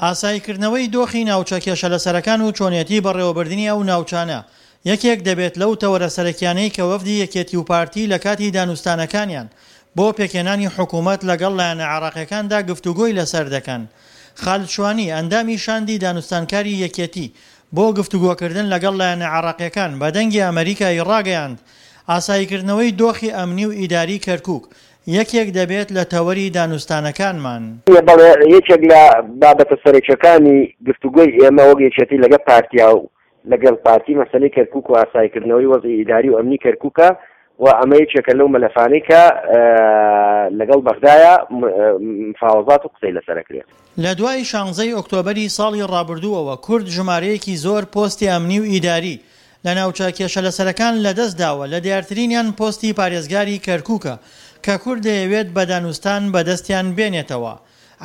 ئاساییکردنەوەی دۆخی ناوچە کێشەلەسەرەکان و چۆنێتی بەڕێوەبردنی ئەو ناوچانە یەکێک دەبێت لەو تەوەرە سەرەکیانەی کە وەفدی یەکێتی و پارتی لە کاتی دانوستانەکانیان بۆ پێکهێنانی حکومەت لەگەڵ لایەنە عێراقیەکاندا گفتوگۆی لەسەر دەکەن. خالد شوانی، ئەندامی شاندی دانوستانکاری یەکێتی بۆ گفتوگۆکردن لەگەڵ لایەنە عێراقیەکان بە دەنگی ئەمەریکا ی ڕاگەیاند، ئاساییکردنەوەی دۆخی ئەمنی و ئیداری کەرکوک یەکێک دەبێت لە تەوەری دانوستانەکانمان. بەڵێ یەکێک لە بابەتە سەرەکیەکانی گفتوگۆی ئێمە وەک یەکێتی لەگەڵ پارتیا و لەگەڵ پارتی مەسەلەی کەرکوک و ئاساییکردنەوەی وەزعی ئیداری و ئەمنی کەرکوکە و ئەمە یەکێکە لەو مەلەفانەی کە لەگەڵ بەغدایە مفاوەزات و قسەی لەسەر ئەکرێت. لە دوای شانزەی ئۆکتۆبەری ساڵی ڕابردووەوە کورد ژمارەیەکی زۆر پۆستی ئەمنی و ئیداری لە ناوچە کێشەلەسەرەکان لەدەستداوە، لە دیارترینیان پۆستی پارێزگاری کەرکوکە کە کورد دەیەوێت بە دانوستان بەدەستیان بێنێتەوە.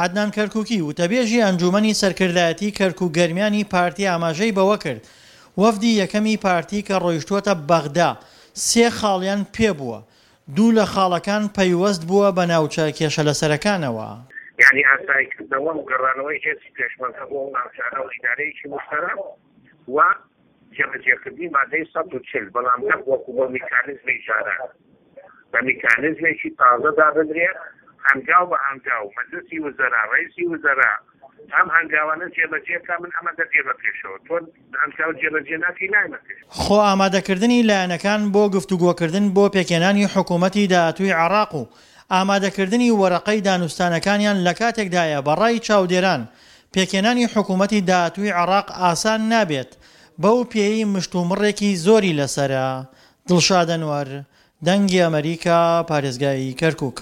عەدنان کەرکوکی، وتەبێژی ئەنجوومەنی سەرکردایەتی کەرکوک-گەرمیانی پارتی ئاماژەی بەوەکرد، وەفدی یەکەمی پارتی کە ڕۆیشتووەتە بەغدا سێ خاڵیان پێبووە، دوو لە خاڵەکان پەیوەست بووە بە ناوچە کێشەلەسەرەکانەوە. یانی ئاساییکردنەوە و گەڕانەوەی هێزی پێشمەرگە بۆ ئەو ناوچانە و ئیدارەیەکی موشتەرەک و جێبەجێکردنی مادەی 140، بەڵام نەک وەکو بە میکانیزمی جاران، بە میکانیزمێکی تازە دابنرێ، هەنگاو بە هەنگاو مەجلسی وزەرا، رەئیسی وزەرا ئەم هەنگاوانە جێبەجێ بکا، من ئەمە دەدێمە پێشەوە، تۆ هەنگاو جێبەجێ ناکەی نایەمە پێشەوە. خۆ ئامادەکردنی لایەنەکان بۆ گفتوگۆکردن بۆ پێکهێنانی حکوومەتی داهاتووی عێراق و ئامادەکردنی وەرەقەی دانوستانەکانیان لەکاتێکدایە بە ڕای چاودێران پێکهێنانی حکوومەتی داهاتووی عێراق ئاسان نابێت بەو پێیەی مشتومڕێکی زۆری لەسەرە. دڵشاد ئەنوەر، دەنگی ئەمەریکا، پارێزگای کەرکوک.